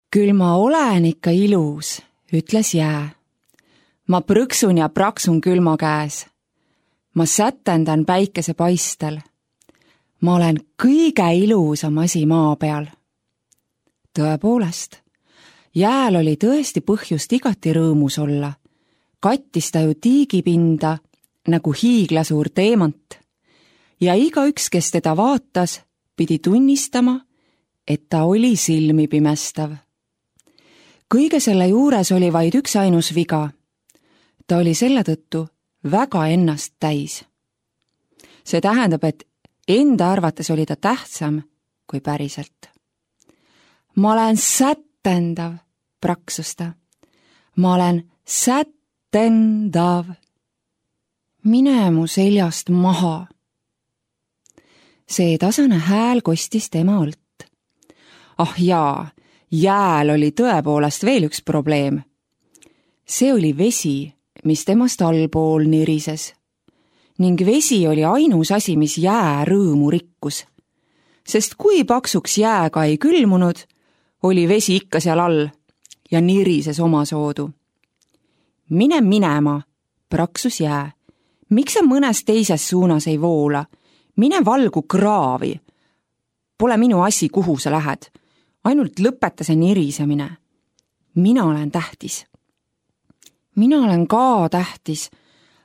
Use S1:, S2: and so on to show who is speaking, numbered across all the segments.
S1: Küll ma olen ikka ilus, ütles jää. Ma prõksun ja praksun külma käes. Ma sätendan päikese paistel. Ma olen kõige ilusam asi maa peal. Tõepoolest, jääl oli tõesti põhjust igati rõõmus olla. Kattis ta ju tiigipinda nagu hiiglasuur teemant. Ja igaüks, kes teda vaatas, pidi tunnistama, et ta oli silmi pimestav. Kõige selle juures oli vaid üks ainus viga. Ta oli selle tõttu väga ennast täis. See tähendab, et enda arvates oli ta tähtsam kui päriselt. Ma olen sätendav, praksus ta. Ma olen sätendav. Mine mu seljast maha. See tasane hääl kostis tema õlt. Ah jaa, jääl oli tõepoolest veel üks probleem. See oli vesi, mis temast allpool nirises. Ning vesi oli ainus asi, mis jää rõõmu rikkus. Sest kui paksuks jääga ei külmunud, oli vesi ikka seal all ja nirises omasoodu. Mine minema, praksus jää. Miks sa mõnes teises suunas ei voola? Mine valgu kraavi. Pole minu asi, kuhu sa lähed. Ainult lõpeta see nirisemine. Mina olen tähtis. Mina olen ka tähtis,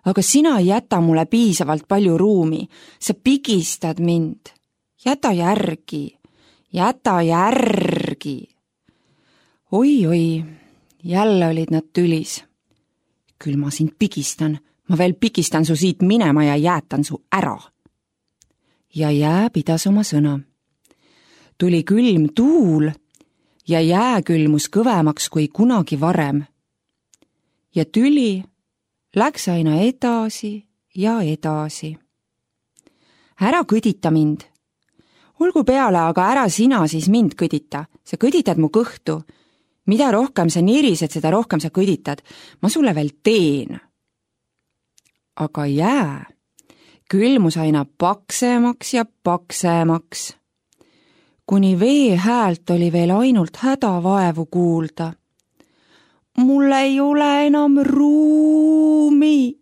S1: aga sina ei jäta mulle piisavalt palju ruumi. Sa pigistad mind. Jäta järgi. Jäta järgi. Oi, jälle olid nad tülis. Küll ma sind pigistan. Ma veel pigistan su siit minema ja jäätan su ära. Ja jää pidas oma sõna. Tuli külm tuul ja jää külmus kõvemaks kui kunagi varem. Ja tüli läks aina edasi ja edasi. Ära kõdita mind. Olgu peale, aga ära sina siis mind kõdita. Sa kõditad mu kõhtu. Mida rohkem sa nirised, seda rohkem sa kõditad. Ma sulle veel teen. Aga jää külmus aina paksemaks ja paksemaks. Kuni vee häält oli veel ainult hädavaevu kuulda. Mul ei ole enam ruumi.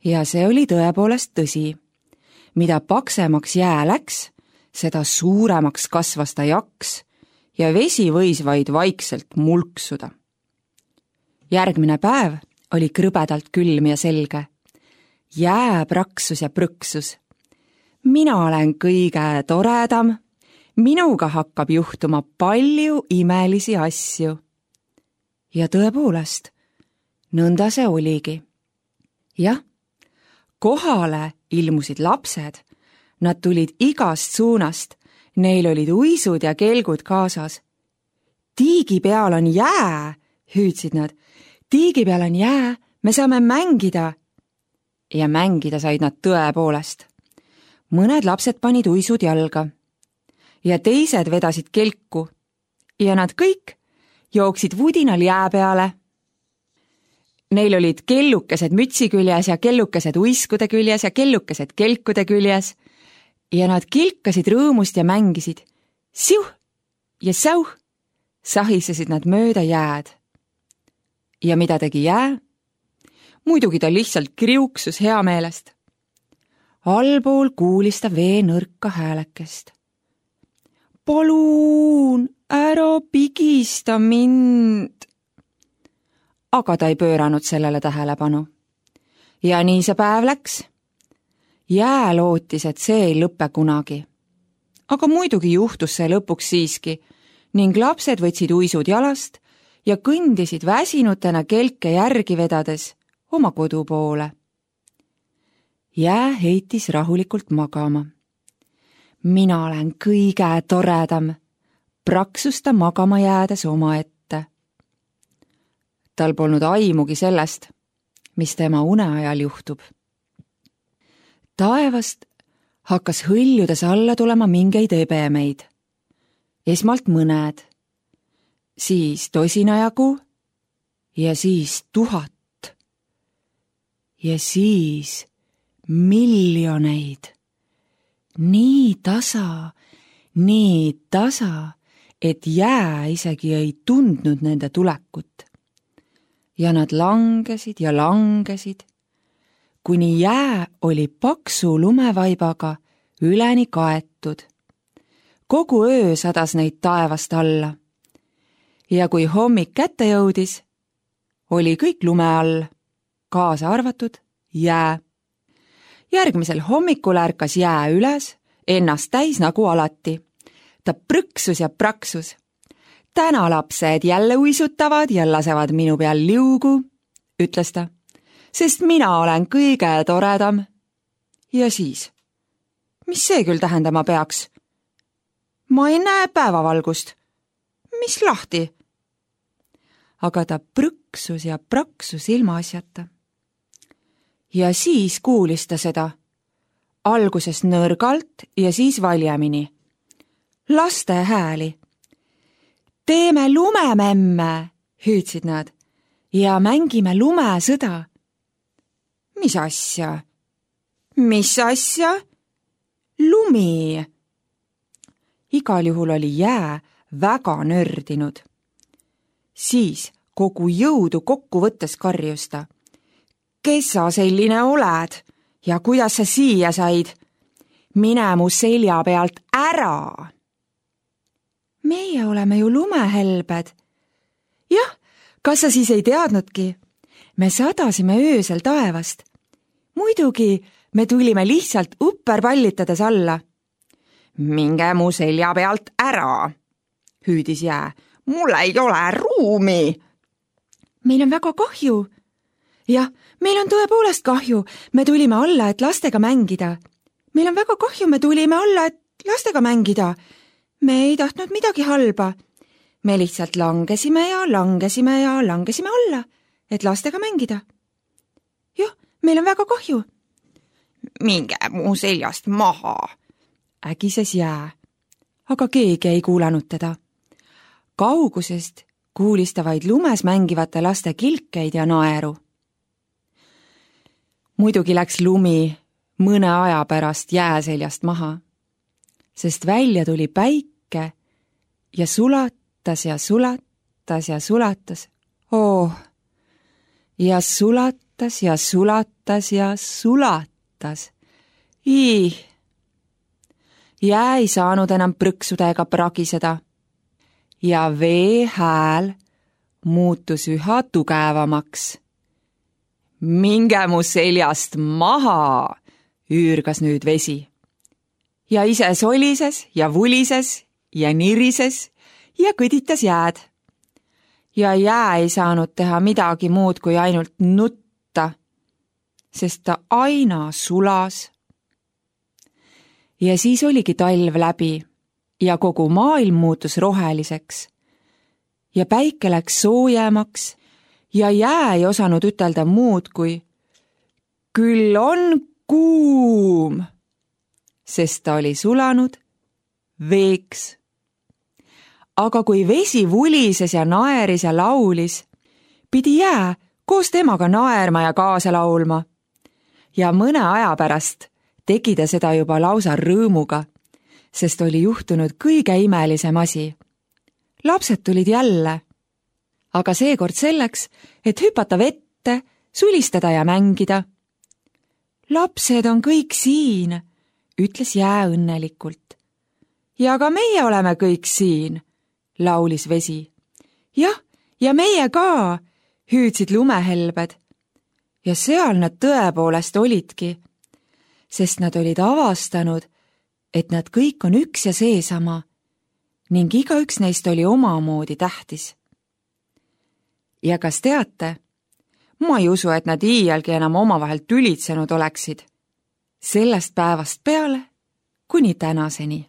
S1: Ja see oli tõepoolest tõsi. Mida paksemaks jää läks, seda suuremaks kasvas ta jaks ja vesi võis vaid vaikselt mulksuda. Järgmine päev oli krõbedalt külm ja selge. Jää praksus ja prõksus. Mina olen kõige toredam. Minuga hakkab juhtuma palju imelisi asju. Ja tõepoolest, nõnda see oligi. Jah, kohale ilmusid lapsed. Nad tulid igast suunast. Neil olid uisud ja kelgud kaasas. Tiigi peal on jää, hüüdsid nad. Tiigi peal on jää, me saame mängida. Ja mängida said nad tõepoolest. Mõned lapsed panid uisud jalga. Ja teised vedasid kelku. Ja nad kõik jooksid vudinal jää peale. Neil olid kellukesed mütsi küljes ja kellukesed uiskude küljes ja kellukesed kelkude küljes. Ja nad kilkasid rõõmust ja mängisid. Siuh ja sauh sahisesid nad mööda jääd. Ja mida tegi jää? Muidugi ta lihtsalt kriuksus hea meelest. Allpool kuulis ta vee nõrka häälekest. Paluun, ära pigista mind. Aga ta ei pööranud sellele tähelepanu. Ja nii see päev läks. Jää lootis, et see ei lõppe kunagi. Aga muidugi juhtus see lõpuks siiski ning lapsed võtsid uisud jalast ja kõndisid väsinutena kelke järgi vedades oma kodu poole. Jää heitis rahulikult magama. Mina olen kõige toredam, praksus ta magama jäädes oma ette. Tal polnud aimugi sellest, mis tema uneajal juhtub. Taevast hakkas hõljudes alla tulema mingeid ebemeid. Esmalt mõned, siis tosinajagu ja siis 1000 ja siis miljoneid. Nii tasa, et jää isegi ei tundnud nende tulekut. Ja nad langesid ja langesid, kuni jää oli paksu lumevaibaga üleni kaetud. Kogu öö sadas neid taevast alla. Ja kui hommik kätte jõudis, oli kõik lume all, kaasa arvatud jää. Järgmisel hommikul ärkas jää üles, ennast täis nagu alati. Ta prõksus ja praksus. Täna lapsed jälle uisutavad ja lasevad minu peal liugu, ütles ta, sest mina olen kõige toredam. Ja siis, mis see küll tähendama peaks? Ma ei näe päevavalgust. Mis lahti? Aga ta prõksus ja praksus ilma asjata. Ja siis kuulis ta seda. Alguses nõrgalt ja siis valjemini. Laste hääli. Teeme lumememme, hüüdsid nad, ja mängime lumesõda. Mis asja? Mis asja? Lumi. Igal juhul oli jää väga nördinud. Siis kogu jõudu kokku võttes karjus ta. Kes sa selline oled ja kuidas sa siia said? Mine mu selja pealt ära! Meie oleme ju lumehelbed. Jah, kas sa siis ei teadnudki? Me sadasime öösel taevast. Muidugi me tulime lihtsalt upperpallitades alla. Minge mu selja pealt ära, hüüdis jää. Mul ei ole ruumi. Meil on väga kahju. Jah, meil on tõepoolest kahju. Me tulime alla, et lastega mängida. Meil on väga kahju, me tulime alla, et lastega mängida. Me ei tahtnud midagi halba. Me lihtsalt langesime ja langesime ja langesime alla, et lastega mängida. Jah, meil on väga kahju. Minge mu seljast maha, ägises jää. Aga keegi ei kuulanud teda. Kaugusest kuulis ta vaid lumes mängivate laste kilkeid ja naeru. Muidugi läks lumi mõne aja pärast jää seljast maha, sest välja tuli päike ja sulatas ja sulatas ja sulatas. Oh! Ja sulatas ja sulatas ja sulatas. Ih! Jää ei saanud enam prõksuda ega pragiseda. Ja vee hääl muutus üha tugevamaks. Minge mu seljast maha, üürgas nüüd vesi. Ja ise solises ja vulises ja nirises ja kõditas jääd. Ja jää ei saanud teha midagi muud kui ainult nutta, sest ta aina sulas. Ja siis oligi talv läbi ja kogu maailm muutus roheliseks. Ja päike läks soojemaks ja jää ei osanud ütelda muud kui küll on kuum, sest ta oli sulanud veeks. Aga kui vesi vulises ja naeris ja laulis, pidi jää koos temaga naerma ja kaasa laulma. Ja mõne aja pärast tegi ta seda juba lausa rõõmuga, sest oli juhtunud kõige imelisem asi. Lapsed tulid jälle, aga seekord selleks, et hüpata vette, sulistada ja mängida. Lapsed on kõik siin, ütles jää õnnelikult. Ja ka meie oleme kõik siin, laulis vesi. Jah, ja meie ka, hüüdsid lumehelbed. Ja seal nad tõepoolest olidki, sest nad olid avastanud, et nad kõik on üks ja seesama ning igaüks neist oli omamoodi tähtis. Ja kas teate, ma ei usu, et nad iialgi enam omavahel tülitsenud oleksid. Sellest päevast peale kuni tänaseni.